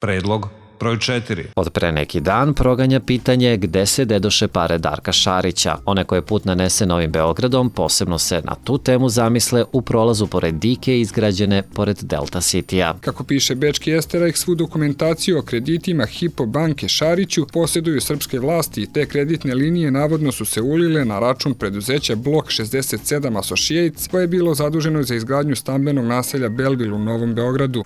Predlog broj 4. Od pre neki dan proganja pitanje gde se dedoše pare Darka Šarića. One koje put nanese Novim Beogradom posebno se na tu temu zamisle u prolazu pored dike izgrađene pored Delta City-a. Kako piše bečki Esterajk, svu dokumentaciju o kreditima Hypo banke Šariću posjeduju srpske vlasti i te kreditne linije navodno su se ulile na račun preduzeća Blok 67 Associates, koje je bilo zaduženo za izgradnju stambenog naselja Belleville u Novom Beogradu.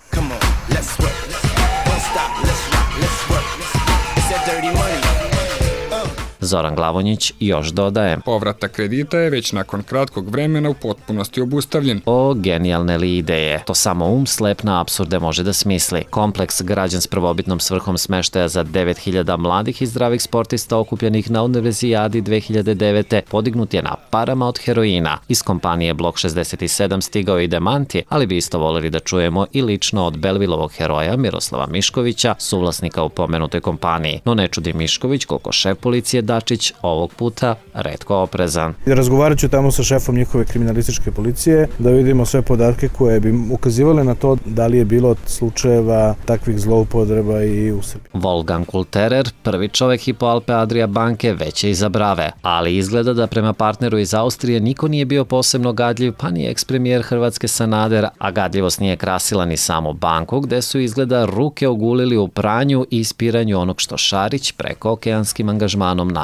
Zoran Glavonjić još dodaje: Povratak kredita je već nakon kratkog vremena u potpunosti obustavljen. O, genijalne li ideje. To samo slep na apsurde može da smisli. Kompleks građen s prvobitnom svrhom smeštaja za 9000 mladih i zdravih sportista okupljenih na Univerzijadi 2009. podignut je na parama od heroina. Iz kompanije Blok 67 stigao i demanti, ali bi isto voljeli da čujemo i lično od Belvilovog heroja Miroslava Miškovića, suvlasnika u pomenutoj kompaniji. No ne čudi Mišković koliko šef policije Dačić ovog puta retko oprezan. Razgovarat ću tamo sa šefom njihove kriminalističke policije da vidimo sve podatke koje bi ukazivale na to da li je bilo slučajeva takvih zloupotreba i u Srbiji. Wolfgang Kulterer, prvi čovek Hypo Alpe Adria banke, već je iza brave, ali izgleda da prema partneru iz Austrije niko nije bio posebno gadljiv, pa ni ekspremijer Hrvatske Sanader, a gadljivost nije krasila ni samu banku, gde su izgleda ruke ogulili u pranju i ispiranju onog što Šarić preko okeanskim angažmanom namače.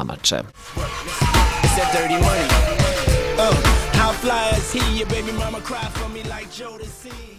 How fly is he? Your baby mama cry for me like Jodeci.